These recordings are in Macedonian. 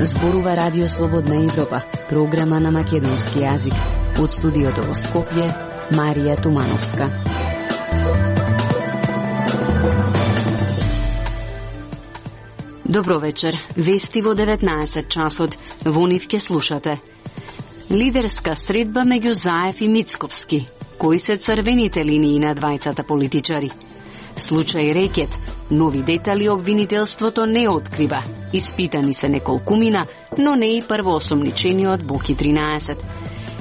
Зборува Радио Слободна Европа, програма на македонски јазик. Од студиото во Скопје, Марија Тумановска. Добро вечер. Вести во 19 часот. Во нив ке слушате. Лидерска средба меѓу Заев и Мицковски. Кои се црвените линии на двајцата политичари? Случај Рекет. Нови детали обвинителството не открива. Испитани се неколкумина, но не и првоосомничениот Боки 13.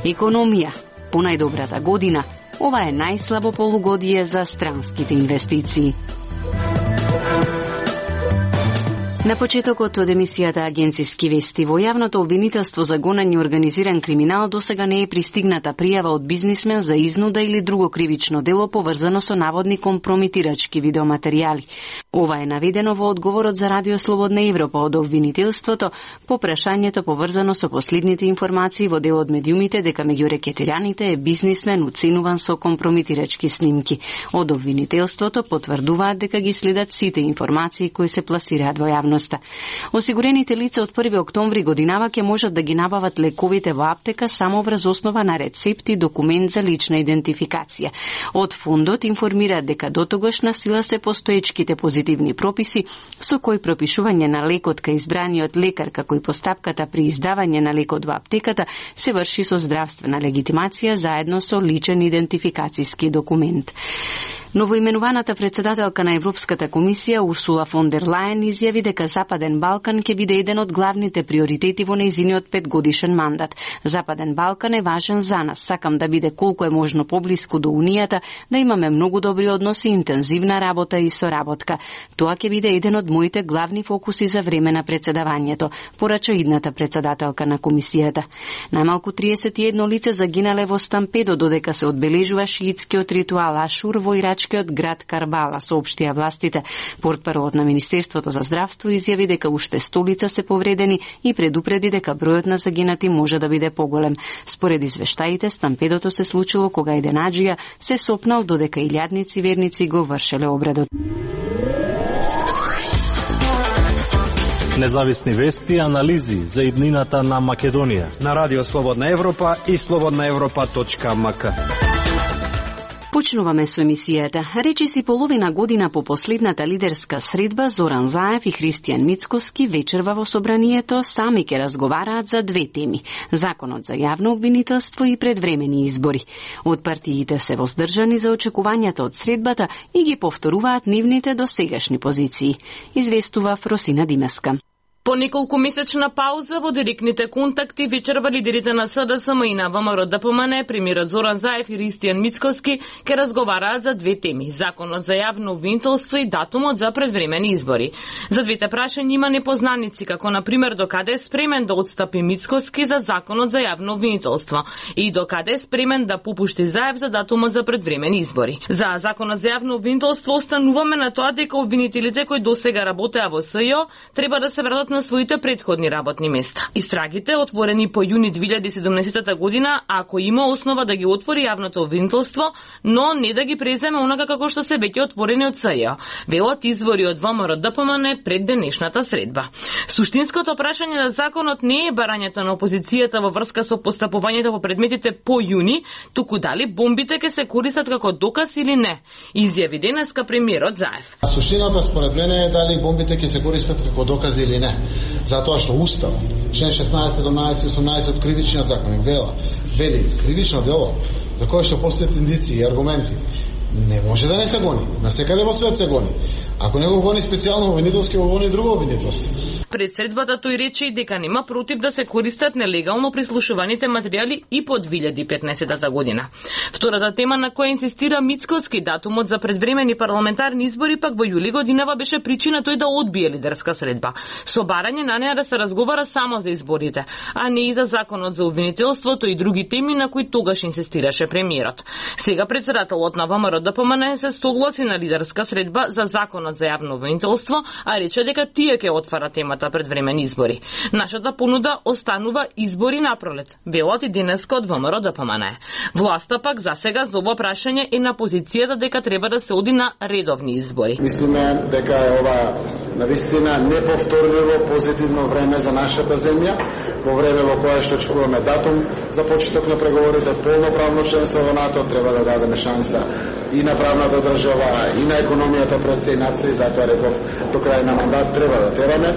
Економија. По најдобрата година, ова е најслабо полугодие за странските инвестиции. На почетокот од емисијата Агенциски вести, во јавното обвинителство за гонење организиран криминал досега не е пристигната пријава од бизнисмен за изнуда или друго кривично дело поврзано со наводни компромитирачки видеоматеријали. Ова е наведено во одговорот за Радио Слободна Европа од обвинителството по прашањето поврзано со последните информации во дел од медиумите дека меѓу рекетираните е бизнисмен уценуван со компромитирачки снимки. Од обвинителството потврдуваат дека ги следат сите информации кои се пласираат во јавност. Осигурените лица од 1 октомври годинава ќе можат да ги набават лековите во аптека само врз основа на рецепт и документ за лична идентификација. Од фондот информираат дека дотогаш на сила се постоечките позитивни прописи со кои пропишување на лекот кај избраниот лекар како и постапката при издавање на лекот во аптеката се врши со здравствена легитимација заедно со личен идентификацијски документ. Новоименуваната председателка на Европската комисија Урсула фон дер Лајен изјави дека Западен Балкан ќе биде еден од главните приоритети во нејзиниот 5-годишен мандат. Западен Балкан е важен за нас. Сакам да биде колку е можно поблиску до Унијата, да имаме многу добри односи, интензивна работа и соработка. Тоа ќе биде еден од моите главни фокуси за време на председавањето, порача идната председателка на комисијата. Најмалку 31 лице загинале во стампедо додека се одбележува шиитскиот ритуал Ашур во ирачкиот град Карбала, соопштија властите. Портпаролот на Министерството за здравство изјави дека уште 100 лица се повредени и предупреди дека бројот на загинати може да биде поголем. Според извештаите, стампедото се случило кога еден аџија се сопнал додека илјадници верници го вршеле обредот. Независни вести и анализи за иднината на Македонија на Радио Слободна Европа и slobodnaevropa.mk. Почнуваме со емисијата. Речиси половина година по последната лидерска средба, Зоран Заев и Христијан Мицковски вечерва во собранието сами ќе разговараат за две теми: законот за јавно обвинителство и предвремени избори. Од партиите се воздржани за очекувањата од средбата и ги повторуваат нивните досегашни позиции. Известува Фросина Димеска. По неколку месечна пауза во директните контакти вечерва лидерите на СДСМ и на ВМРО-ДПМН, премиерот Зоран Заев и Христијан Мицковски ќе разговараат за две теми: законот за јавно обвинителство и датумот за предвремени избори. За двете прашања има непознаници, како на пример докаде е спремен да отстапи Мицковски за законот за јавно обвинителство и докаде е спремен да попушти Заев за датумот за предвремени избори. За законот за јавно обвинителство остануваме на тоа дека обвинителите кои досега работеа во СЈО треба да се вратат на своите претходни работни места. Истрагите, отворени по јуни 2017 година, ако има основа да ги отвори јавното обвинителство, но не да ги преземе онака како што се веќе отворени од СЈО, велат извори од ВМРО-ДПМН пред денешната средба. Суштинското прашање на законот не е барањето на опозицијата во врска со постапувањето по предметите по јуни, туку дали бомбите ќе се користат како доказ или не, изјави денеска премиерот Заев. Суштината според мене е дали бомбите ќе се користат како докази или не. Затоа што Устав, член 16, 17 и 18 од кривичниот закон вели кривично дело за кое што постојат индици и аргументи не може да не се гони. На секаде во свет се гони. Ако не го гони специјално обвинителски, го гони друго обвинителство. Пред средбата тој рече и дека нема против да се користат нелегално прислушуваните материјали и по 2015 година. Втората тема на која инсистира Мицковски, датумот за предвремени парламентарни избори, пак во јули годинава беше причина тој да одбие лидерска средба, со барање на неа да се разговара само за изборите, а не и за законот за обвинителството и други теми на кои тогаш инсистираше премиерот. Сега председателот на ВМРО-ДПМН се согласи на лидерска средба за законот за јавно обвинителство, а рече дека тие ќе отвара темата наредбата пред времени избори. Нашата понуда останува избори на пролет, велат и денеска од ВМРО ДПМН. Власта пак за сега за ова прашање е на позицијата дека треба да се оди на редовни избори. Мислиме дека е ова навистина неповторливо позитивно време за нашата земја, во време во кое што очекуваме датум за почеток на преговорите, полноправно членство во НАТО, треба да дадеме шанса и на правната држава, и на економијата пред се и над се, и затоа реков до крај на мандат треба да тераме.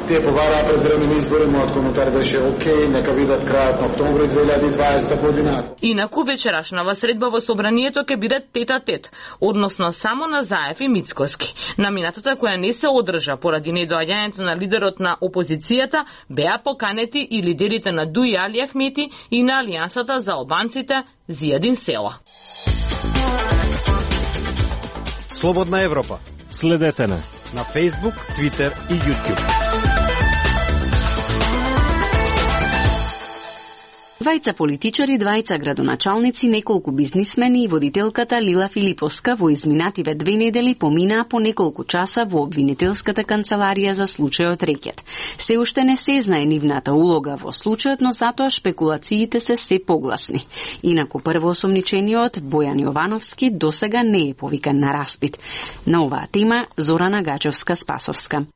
Тие побараа пред времени избори, мојот коментар беше окей, нека видат крајот на октомври 2020 година. Инаку вечерашнава средба во собранието ќе биде тет-а-тет, односно само на Заев и Мицкоски. Наминатата која не се одржа поради недоаѓањето на лидерот на опозицијата, беа поканети и лидерите на Дуи Али Ахмети и на Алијансата за албанците Зијадин Села. Слободна Европа. Следете не на Facebook, Twitter и YouTube. Двајца политичари, двајца градоначалници, неколку бизнисмени и водителката Лила Филиповска во изминативе 2 недели поминаа по неколку часа во обвинителската канцеларија за случајот Рекет. Се уште не се знае нивната улога во случајот, но затоа шпекулациите се погласни. Инаку првоосомничениот Бојан Јовановски досега не е повикан на распит. На оваа тема Зорана Гачевска-Спасовска.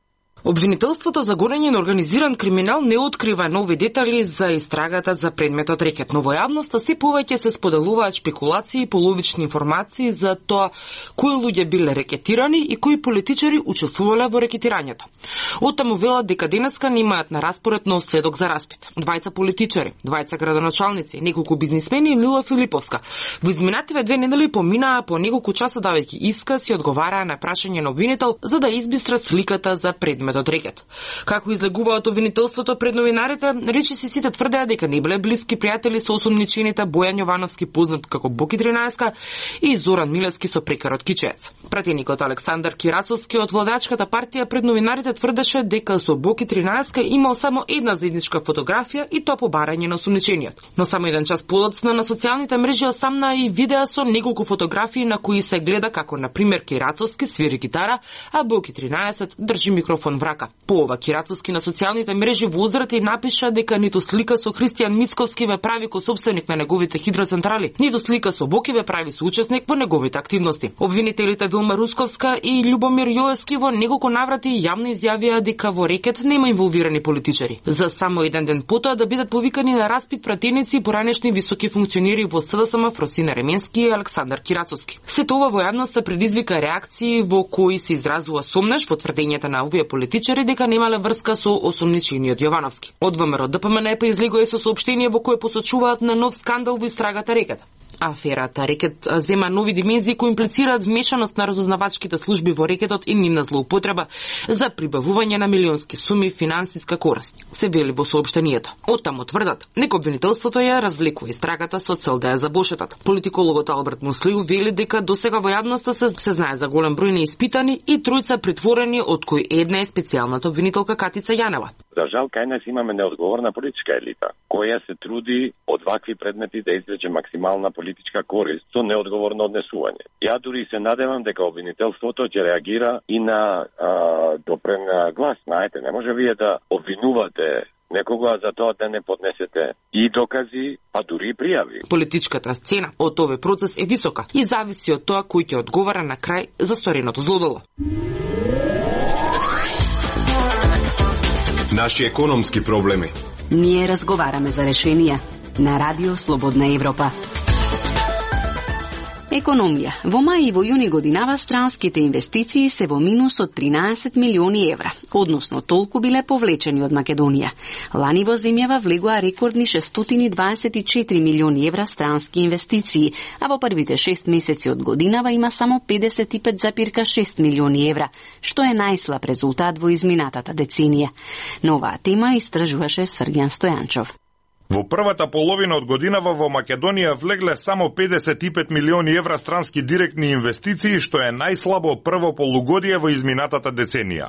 Обвинителството за гонење на организиран криминал не открива нови детали за истрагата за предметот Рекет, но во јавноста се повеќе се споделуваат шпекулации и половични информации за тоа кои луѓе биле рекетирани и кои политичари учествувале во рекетирањето. Оттаму велат дека денеска немаат на распоред нов сведок за распит. Двајца политичари, двајца градоначалници, неколку бизнисмени и Лила Филиповска во изминативе 2 недели поминаа по неколку часа давајќи исказ и одговараа на прашање на обвинител за да избистрат сликата за предметот од Рекет. Како излегуваат обвинителството пред новинарите, речиси сите тврдеа дека не биле блиски пријатели со осомничените Бојан Јовановски, познат како Боки 13, и Зоран Милевски со прекарот Кичеец. Пратеникот Александар Кирацовски од владачката партија пред новинарите тврдеше дека со Боки 13 имал само една заедничка фотографија и тоа по барање на осомничениот. Но само еден час подоцна на социјалните мрежи осамна и видеа со неколку фотографии на кои се гледа како на пример Кирацовски свири гитара, а Боки 13 држи микрофон в рака. По ова Кирацовски на социјалните мрежи воздрати и напиша дека ниту слика со Христијан Мицковски ве прави косопственик на неговите хидроцентрали, ниту слика со Боки ве прави соучесник во неговите активности. Обвинителите Вилма Русковска и Љубомир Јоевски во неколку наврати јавно изјавија дека во Рекет нема инволвирани политичари. За само еден ден потоа да бидат повикани на распит пратеници и поранешни високи функционери во СДСМ Фросина Ременски и Александар Кирацовски. Сето ова во јавноста предизвика реакции во кои се изразува сомнеш во тврдењата на овие политичари дека немале врска со осомничениот Јовановски. Од ВМРО ДПМН излегува со соопштение во кое посочуваат на нов скандал во истрагата Рекет. Аферата Рекет зема нови димензии кои имплицираат вмешаност на разузнавачките служби во Рекетот и нивна злоупотреба за прибавување на милионски суми финансиска корист, се вели во соопштението. Оттаму тврдат, дека обвинителството ја развлекува истрагата со цел да ја забошетат. Политикологот Алберт Муслиу вели дека досега во јавноста се знае за голем број неиспитани и тројца притворени, од кои една е специјалната обвинителка Катица Јанева. За жал, кај нас имаме неодговорна политичка елита, која се труди од вакви предмети да извлече максимална политичка корист со неодговорно однесување. Ја дури се надевам дека обвинителството ќе реагира и на допрен глас. Знаете, не може вие да обвинувате некога за тоа да не поднесете и докази, а дури и пријави. Политичката сцена од овој процес е висока и зависи од тоа кој ќе одговара на крај за стореното злодело. Наши економски проблеми. Ние разговараме за решенија на Радио Слободна Европа. Економија. Во мај и во јуни годинава странските инвестиции се во минус од 13 милиони евра, односно толку биле повлечени од Македонија. Лани во земјава влегоа рекордни 624 милиони евра странски инвестиции, а во првите 6 месеци од годинава има само 55,6 милиони евра, што е најслаб резултат во изминатата деценија. На оваа тема истражуваше Срѓан Стојанчов. Во првата половина од годинава во Македонија влегле само 55 милиони евра странски директни инвестиции, што е најслабо прво полугодие во изминатата деценија.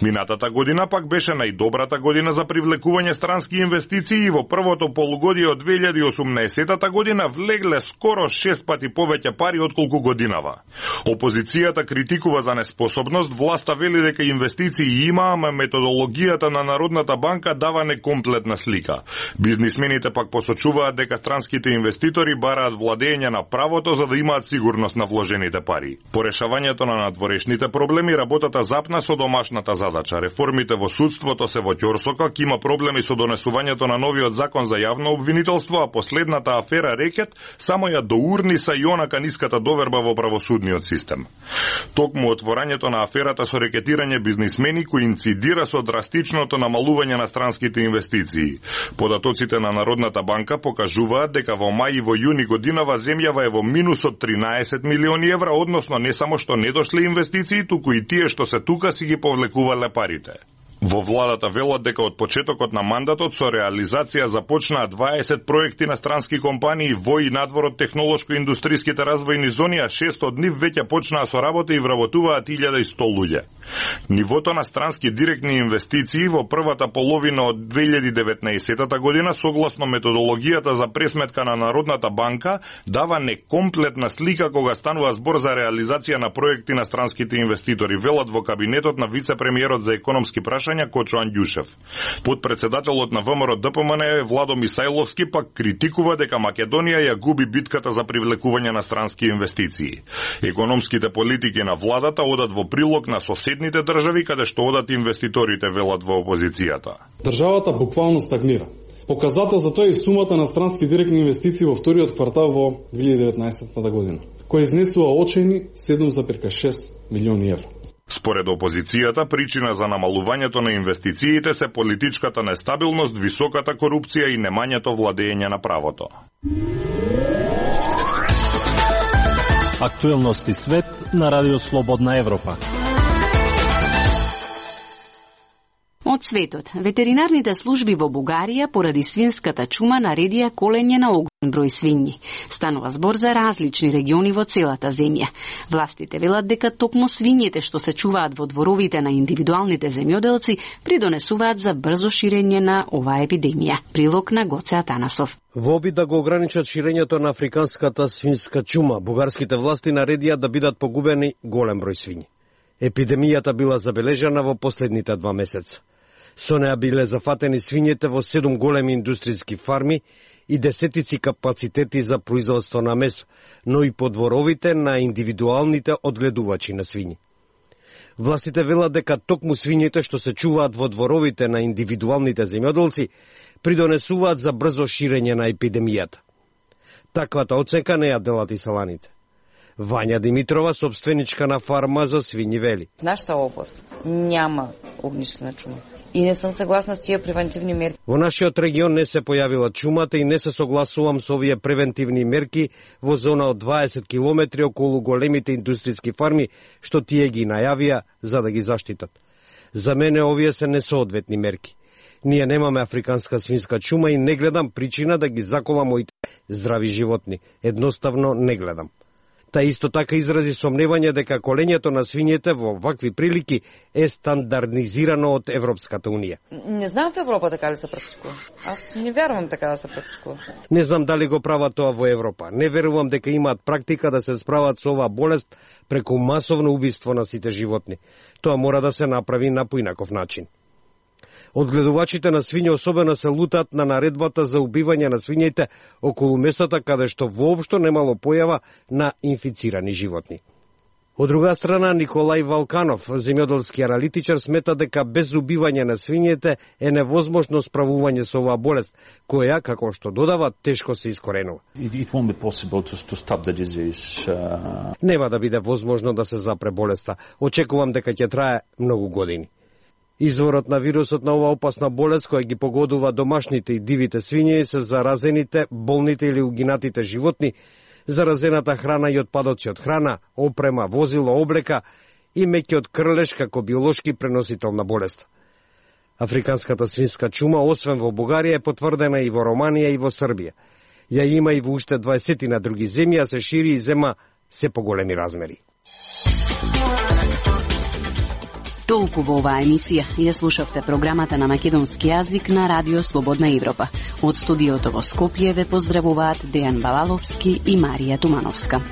Минатата година пак беше најдобрата година за привлекување странски инвестиции и во првото полугодие од 2018 година влегле скоро 6 пати повеќе пари отколку годинава. Опозицијата критикува за неспособност, власта вели дека инвестиции има, ама методологијата на Народната банка дава некомплетна слика. Бизнисмените пак посочуваат дека странските инвеститори бараат владење на правото за да имаат сигурност на вложените пари. По решавањето на надворешните проблеми работата запна со домашната задача. Реформите во судството се во ќорсокак, има проблеми со донесувањето на новиот закон за јавно обвинителство, а последната афера Рекет само ја доурниса и онака ниската доверба во правосудниот систем. Токму отворањето на аферата со рекетирање бизнисмени коинцидира со драстичното намалување на странските инвестиции. Податоците на Народната банка покажуваат дека во мај и во јуни годинава земјава е во минус од 13 милиони евра, односно не само што не дошле инвестиции, туку и тие што се тука си ги повлекувале парите. Во владата велат дека од почетокот на мандатот со реализација започнаа 20 проекти на странски компании во и надвор од технолошко-индустриските развојни зони, а 6 од нив веќе почнаа со работа и вработуваат 1100 луѓе. Нивото на странски директни инвестиции во првата половина од 2019 година, согласно методологијата за пресметка на Народната банка, дава некомплетна слика кога станува збор за реализација на проекти на странските инвеститори, велат во кабинетот на вице-премиерот за економски прашања Кочо Андјушев. Подпредседателот на ВМРО ДПМН Владо Мисајловски пак критикува дека Македонија ја губи битката за привлекување на странски инвестиции. Економските политики на владата одат во прилог на соседните држави каде што одат инвеститорите, велат во опозицијата. Државата буквално стагнира. Показател за тоа е сумата на странски директни инвестиции во вториот квартал во 2019 година, која изнесува очајни 7,6 милиони евра. Според опозицијата, причина за намалувањето на инвестициите се политичката нестабилност, високата корупција и немањето владење на правото. Актуелности свет на Радио Слободна Европа. Од светот, ветеринарните служби во Бугарија поради свинската чума наредија колење на огромен број свињи. Станува збор за различни региони во целата земја. Властите велат дека токму свињите што се чуваат во дворовите на индивидуалните земјоделци придонесуваат за брзо ширење на оваа епидемија. Прилог на Гоце Атанасов. Во обид да го ограничат ширењето на африканската свинска чума, бугарските власти наредија да бидат погубени голем број свињи. Епидемијата била забележана во последните 2 месеца. Со неа биле зафатени свињите во 7 големи индустријски фарми и десетици капацитети за производство на месо, но и по дворовите на индивидуалните одгледувачи на свињи. Властите велат дека токму свињите што се чуваат во дворовите на индивидуалните земјоделци придонесуваат за брзо ширење на епидемијата. Таквата оценка не ја делат и селаните. Вања Димитрова, собственичка на фарма за свињи, вели. Нашата област няма огнишна чума. И не сум согласна с тие превентивни мерки. Во нашиот регион не се појавила чумата и не се согласувам со овие превентивни мерки во зона од 20 километри околу големите индустријски фарми што тие ги најавија за да ги заштитат. За мене овие се несоодветни мерки. Ние немаме африканска свинска чума и не гледам причина да ги заколам моите здрави животни. Едноставно не гледам. Та исто така изрази сомневање дека колењето на свињите во вакви прилики е стандардизирано од Европската Унија. Не знам в Европа така ли се практикува. Аз не верувам така да се практикува. Не знам дали го прават тоа во Европа. Не верувам дека имаат практика да се справат со оваа болест преку масовно убиство на сите животни. Тоа мора да се направи на поинаков начин. Одгледувачите на свиња особено се лутат на наредбата за убивање на свињите околу местата каде што воопшто немало појава на инфицирани животни. Од друга страна, Николај Валканов, земјоделски аналитичар, смета дека без убивање на свињите е невозможно справување со оваа болест, која, како што додава, тешко се искоренува. Нема да биде возможно да се запре болеста. Очекувам дека ќе трае многу години. Изворот на вирусот на оваа опасна болест која ги погодува домашните и дивите свињи се заразените, болните или угинатите животни, заразената храна и отпадоци од храна, опрема, возило, облека и меќиот крлеш како биолошки преносител на болест. Африканската свинска чума, освен во Бугарија, е потврдена и во Романија и во Србија. Ја има и во уште 20 на други земји, а се шири и зема се поголеми размери. Толку во оваа емисија. Ја слушавте програмата на македонски јазик на Радио Слободна Европа. Од студиото во Скопје ве поздравуваат Дејан Балаловски и Марија Тумановска.